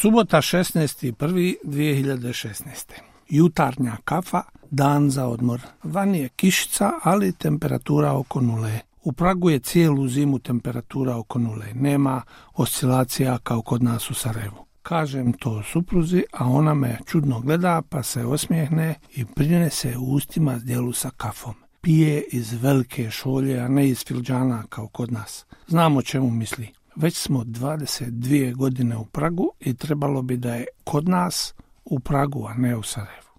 Subota 16.1.2016. Jutarnja kafa, dan za odmor. Van je kišica, ali temperatura oko nule. U Pragu je cijelu zimu temperatura oko nule. Nema oscilacija kao kod nas u Sarajevu. Kažem to supruzi, a ona me čudno gleda, pa se osmijehne i prinese u ustima zdjelu sa kafom. Pije iz velike šolje, a ne iz filđana kao kod nas. Znam o čemu misli. Već smo 22 godine u Pragu i trebalo bi da je kod nas u Pragu, a ne u Sarajevu.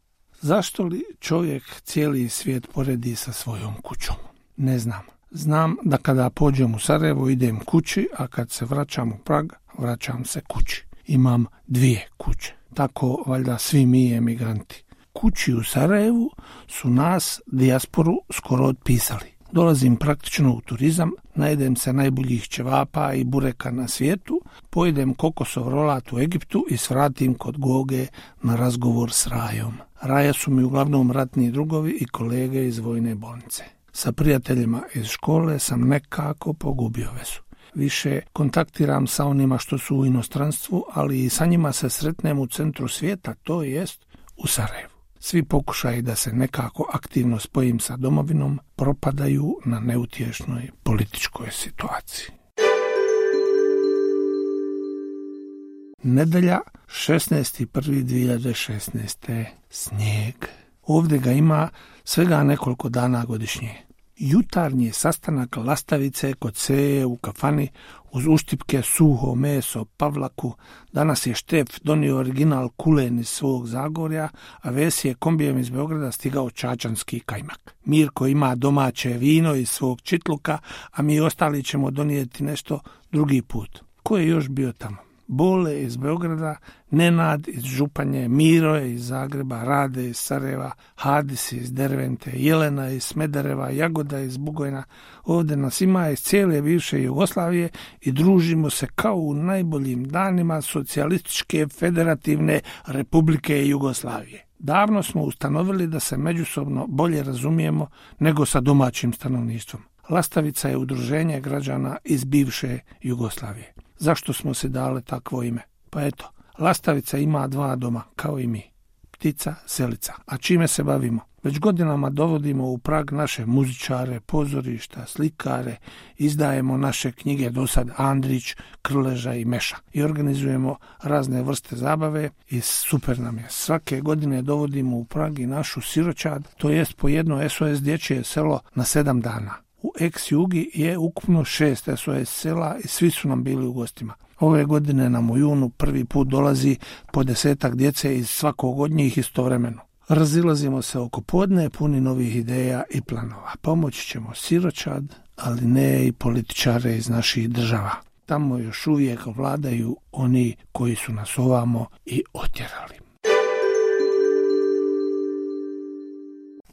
Zašto li čovjek cijeli svijet poredi sa svojom kućom? Ne znam. Znam da kada pođem u Sarajevo idem kući, a kad se vraćam u Prag, vraćam se kući. Imam 2 kuće. Tako valjda svi mi emigranti. Kući u Sarajevu su nas, dijasporu, skoro otpisali. Dolazim praktično u turizam, najedem se najboljih ćevapa i bureka na svijetu, pojedem kokosov rolat u Egiptu i svratim kod Goge na razgovor s Rajom. Raja su mi uglavnom ratni drugovi i kolege iz vojne bolnice. Sa prijateljima iz škole sam nekako pogubio vezu. Više kontaktiram sa onima što su u inostranstvu, ali i sa njima se sretnem u centru svijeta, to jest u Sarajevu. Svi pokušaji da se nekako aktivno spojim sa domovinom propadaju na neutješnoj političkoj situaciji. Nedjelja 16.1.2016. Snijeg. Ovdje ga ima svega nekoliko dana godišnje. Jutarnji sastanak lastavice kod Seje u kafani uz uštipke suho meso pavlaku. Danas je Štef donio original kulen iz svog Zagorja, a Vesi je kombijem iz Beograda stigao čačanski kajmak. Mirko ima domaće vino iz svog Čitluka, a mi ostali ćemo donijeti nešto drugi put. Ko je još bio tamo? Bole iz Beograda, Nenad iz Županje, Miro je iz Zagreba, Rade iz Sarajeva, Hadis iz Dervente, Jelena iz Smedereva, Jagoda iz Bugojna. Ovdje nas ima iz cijele bivše Jugoslavije i družimo se kao u najboljim danima Socijalističke federativne Republike Jugoslavije. Davno smo ustanovili da se međusobno bolje razumijemo nego sa domaćim stanovništvom. Lastavica je udruženje građana iz bivše Jugoslavije. Zašto smo se dali takvo ime? Pa eto, Lastavica ima 2 doma, kao i mi. Ptica, selica. A čime se bavimo? Već godinama dovodimo u Prag naše muzičare, pozorišta, slikare, izdajemo naše knjige dosad Andrić, Krleža i Meša i organizujemo razne vrste zabave i super nam je. Svake godine dovodimo u Prag i našu siročad, to jest po jedno SOS dječje selo na 7 dana. U ex-Jugi je ukupno 6 SOS sela i svi su nam bili u gostima. Ove godine nam u junu prvi put dolazi po 10 djece iz svakog od njih istovremeno. Razilazimo se oko podne puni novih ideja i planova. Pomoći ćemo siročad, ali ne i političare iz naših država. Tamo još uvijek vladaju oni koji su nas ovamo i otjerali.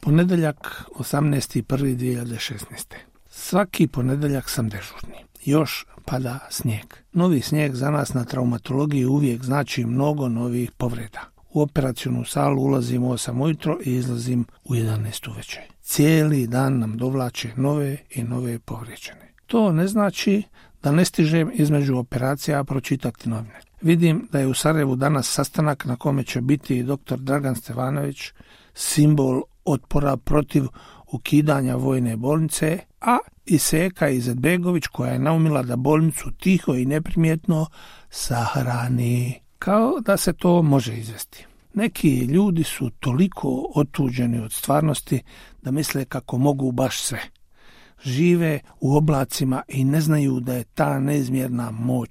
Ponedjeljak 18.1.2016. Svaki ponedjeljak sam dežurni. Još pada snijeg. Novi snijeg za nas na traumatologiji uvijek znači mnogo novih povreda. U operacionu salu ulazim u 8 ujutro i izlazim u 11 uveče. Cijeli dan nam dovlače nove i nove povrijeđene. To ne znači da ne stižem između operacija pročitati novine. Vidim da je u Sarajevu danas sastanak na kome će biti dr. Dragan Stevanović, simbol otpora protiv ukidanja vojne bolnice, a i Seka Izetbegović koja je naumila da bolnicu tiho i neprimjetno sahrani. Kao da se to može izvesti. Neki ljudi su toliko otuđeni od stvarnosti da misle kako mogu baš sve. Žive u oblacima i ne znaju da je ta neizmjerna moć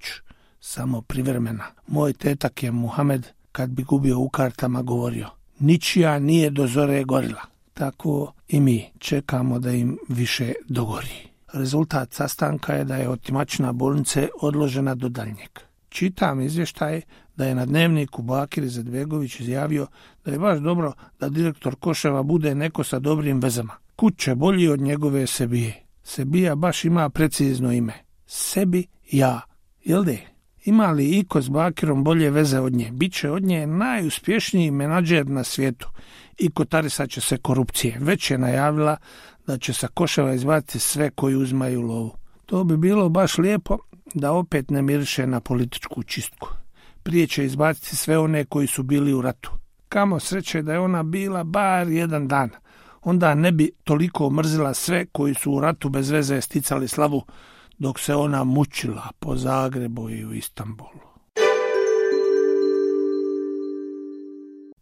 samo privremena. Moj tetak je Muhamed, kad bi gubio u kartama, govorio: ničija nije do zore gorila. Tako i mi čekamo da im više dogori. Rezultat sastanka je da je otimačina bolnice odložena do daljnjeg. Čitam izvještaj da je na Dnevniku Bakir Izetbegović izjavio da je baš dobro da direktor Koševa bude neko sa dobrim vezama. Kud će bolji od njegove Sebije. Sebija baš ima precizno ime. Sebi ja. Jel de? Ima li iko s Bakirom bolje veze od nje? Biće od nje najuspješniji menadžer na svijetu i kotarisat će se korupcije. Već je najavila da će sa Koševa izbaciti sve koji uzmaju lovu. To bi bilo baš lijepo da opet ne miriše na političku čistku. prije će izbaciti sve one koji su bili u ratu. Kamo sreće da je ona bila bar jedan dan. Onda ne bi toliko mrzila sve koji su u ratu bez veze sticali slavu, dok se ona mučila po Zagrebu i u Istanbulu.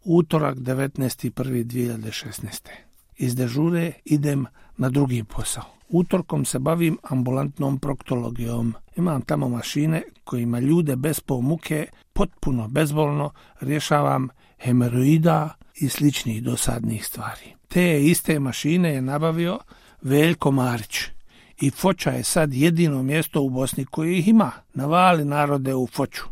Utorak 19.1.2016. Iz dežure idem na drugi posao. Utorkom se bavim ambulantnom proktologijom. Imam tamo mašine kojima ljude bez muke, potpuno bezbolno rješavam hemoroida i sličnih dosadnih stvari. Te iste mašine je nabavio Veljko Marić. I Foča je sad jedino mjesto u Bosni koje ih ima. Navali narode u Foču.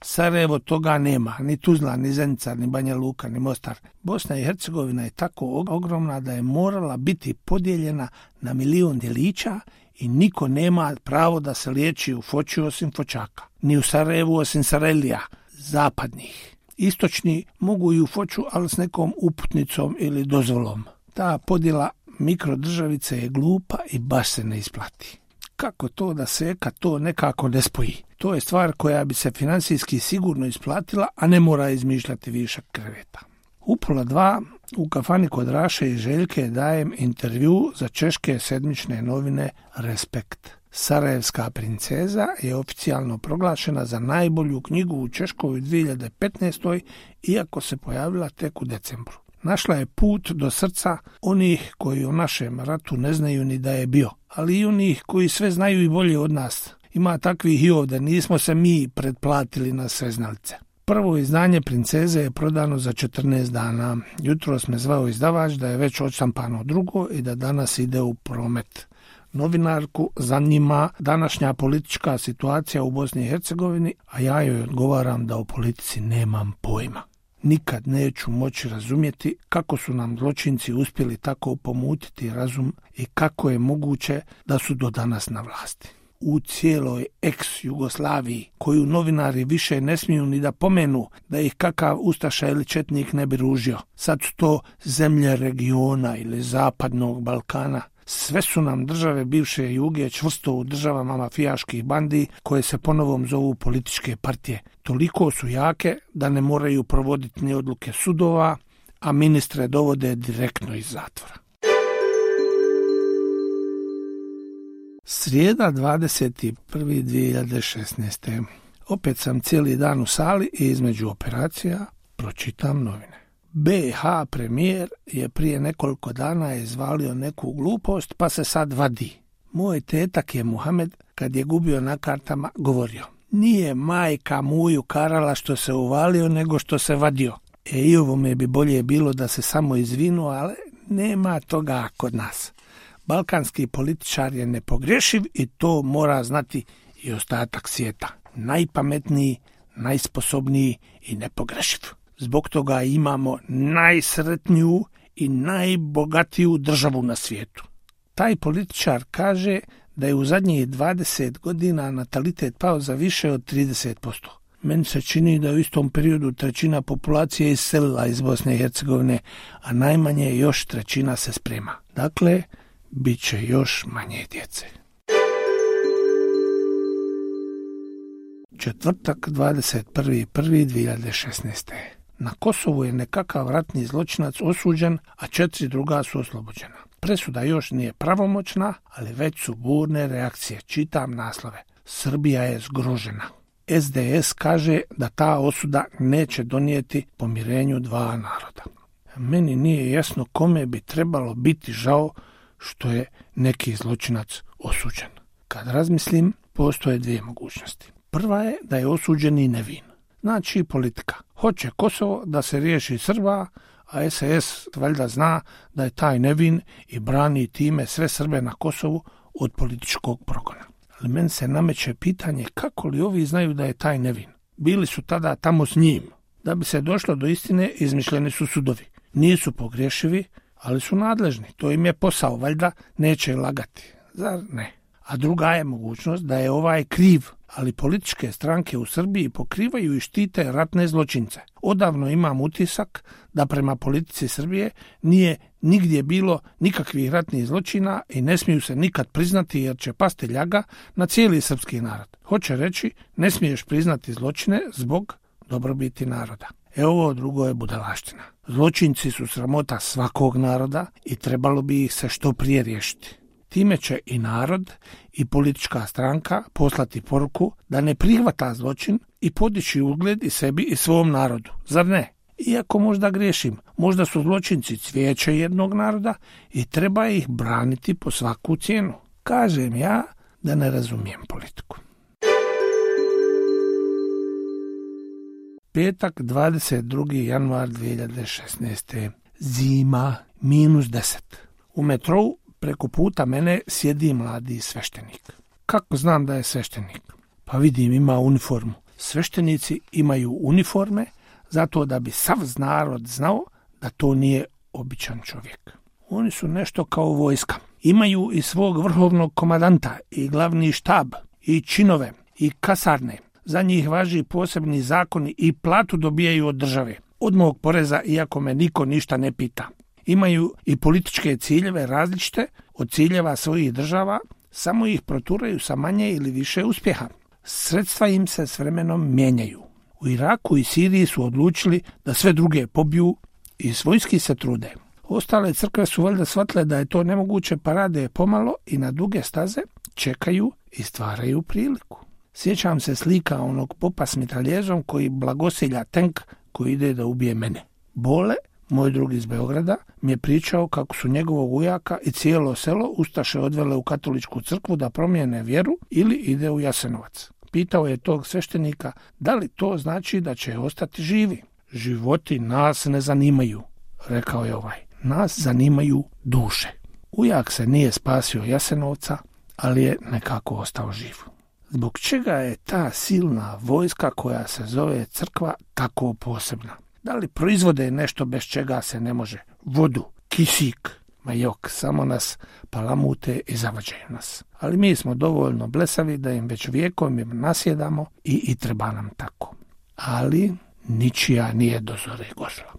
Sarajevo toga nema, ni Tuzla, ni Zenica, ni Banja Luka, ni Mostar. Bosna i Hercegovina je tako ogromna da je morala biti podijeljena na 1.000.000 djelića i niko nema pravo da se liječi u Foči osim Fočaka. Ni u Sarajevu osim Sarajlija, zapadnih. Istočni mogu i u Foču, ali s nekom uputnicom ili dozvolom. Ta podjela mikrodržavice je glupa i baš se ne isplati. Kako to da se kad to nekako ne spoji? To je stvar koja bi se financijski sigurno isplatila, a ne mora izmišljati višak kreveta. U 1:30 u kafani kod Raše i Željke dajem intervju za češke sedmične novine Respekt. Sarajevska princeza je oficijalno proglašena za najbolju knjigu u Češkoj u 2015. iako se pojavila tek u decembru. Našla je put do srca onih koji o našem ratu ne znaju ni da je bio, ali i onih koji sve znaju i bolje od nas. Ima takvih i ovdje, nismo se mi pretplatili na sveznalice. Prvo izdanje Princeze je prodano za 14 dana. Jutros me zvao izdavač da je već odštampano drugo i da danas ide u promet. Novinarku zanima današnja politička situacija u Bosni i Hercegovini, a ja joj odgovaram da o politici nemam pojma. Nikad neću moći razumjeti kako su nam zločinci uspjeli tako pomutiti razum i kako je moguće da su do danas na vlasti. U cijeloj ex-Jugoslaviji, koju novinari više ne smiju ni da pomenu da ih kakav ustaša ili četnik ne bi ružio. Sad su to zemlje regiona ili zapadnog Balkana. Sve su nam države bivše Juge čvrsto u državama mafijaških bandi koje se ponovom zovu političke partije. Toliko su jake da ne moraju provoditi ni odluke sudova, a ministre dovode direktno iz zatvora. Srijeda 21.2016. Opet sam cijeli dan u sali i između operacija pročitam novine. BiH premijer je prije nekoliko dana izvalio neku glupost pa se sad vadi. Moj tetak je Muhamed kad je gubio na kartama govorio: nije majka muju karala što se uvalio nego što se vadio. I ovo me bi bolje bilo da se samo izvinu, ali nema toga kod nas. Balkanski političar je nepogrešiv i to mora znati i ostatak svijeta. Najpametniji, najsposobniji i nepogrešiv. Zbog toga imamo najsretniju i najbogatiju državu na svijetu. Taj političar kaže da je u zadnjih 20 godina natalitet pao za više od 30%. Meni se čini da u istom periodu 1/3 populacije iselila iz Bosne i Hercegovine, a najmanje još 1/3 se sprema. Dakle, bit će još manje djece. Četvrtak 21.1.2016. Na Kosovu je nekakav ratni zločinac osuđen, a 4 druga su oslobođena. Presuda još nije pravomoćna, ali već su burne reakcije. Čitam naslove. Srbija je zgrožena. SDS kaže da ta osuda neće donijeti pomirenju dva naroda. Meni nije jasno kome bi trebalo biti žao što je neki zločinac osuđen. Kad razmislim, postoje dvije mogućnosti. Prva je da je osuđen i nevin. Znači politika. Hoće Kosovo da se riješi Srba, a SS valjda zna da je taj nevin i brani time sve Srbe na Kosovu od političkog progona. Ali meni se nameće pitanje kako li ovi znaju da je taj nevin. Bili su tada tamo s njim. Da bi se došlo do istine, izmišljeni su sudovi. Nisu pogrešivi, ali su nadležni. To im je posao, valjda neće lagati. Zar ne? A druga je mogućnost da je ovaj kriv, ali političke stranke u Srbiji pokrivaju i štite ratne zločince. Odavno imam utisak da prema politici Srbije nije nigdje bilo nikakvih ratnih zločina i ne smiju se nikad priznati jer će pasti ljaga na cijeli srpski narod. Hoće reći, ne smiješ priznati zločine zbog dobrobiti naroda. Ovo drugo je budalaština. Zločinci su sramota svakog naroda i trebalo bi ih se što prije riješiti. Time će i narod i politička stranka poslati poruku da ne prihvata zločin i podići ugled i sebi i svom narodu. Zar ne? Iako možda griješim, možda su zločinci cvijeće jednog naroda i treba ih braniti po svaku cijenu. Kažem ja da ne razumijem politiku. Petak, 22. januar 2016. Zima, -10. U metrou preko puta mene sjedi mladi sveštenik. Kako znam da je sveštenik? Pa vidim, ima uniformu. Sveštenici imaju uniforme zato da bi sav narod znao da to nije običan čovjek. Oni su nešto kao vojska. Imaju i svog vrhovnog komandanta i glavni štab i činove i kasarne. Za njih važi posebni zakoni i platu dobijaju od države. Od mog poreza, iako me niko ništa ne pita. Imaju i političke ciljeve različite od ciljeva svojih država, samo ih proturaju sa manje ili više uspjeha. Sredstva im se s vremenom mijenjaju. U Iraku i Siriji su odlučili da sve druge pobiju i svojski se trude. Ostale crkve su valjda shvatile da je to nemoguće, pa rade pomalo i na duge staze čekaju i stvaraju priliku. Sjećam se slika onog popa s mitraljezom koji blagosilja tank koji ide da ubije mene. Bole, moj drug iz Beograda, mi je pričao kako su njegovog ujaka i cijelo selo ustaše odvele u katoličku crkvu da promijene vjeru ili ide u Jasenovac. Pitao je tog sveštenika da li to znači da će ostati živi. Životi nas ne zanimaju, rekao je ovaj. Nas zanimaju duše. Ujak se nije spasio Jasenovca, ali je nekako ostao živ. Zbog čega je ta silna vojska koja se zove crkva tako posebna? Da li proizvode nešto bez čega se ne može? Vodu, kisik, ma jok, samo nas palamute i zavađaju nas. Ali mi smo dovoljno blesavi da im već vijekom im nasjedamo i treba nam tako. Ali ničija nije do zore gorla.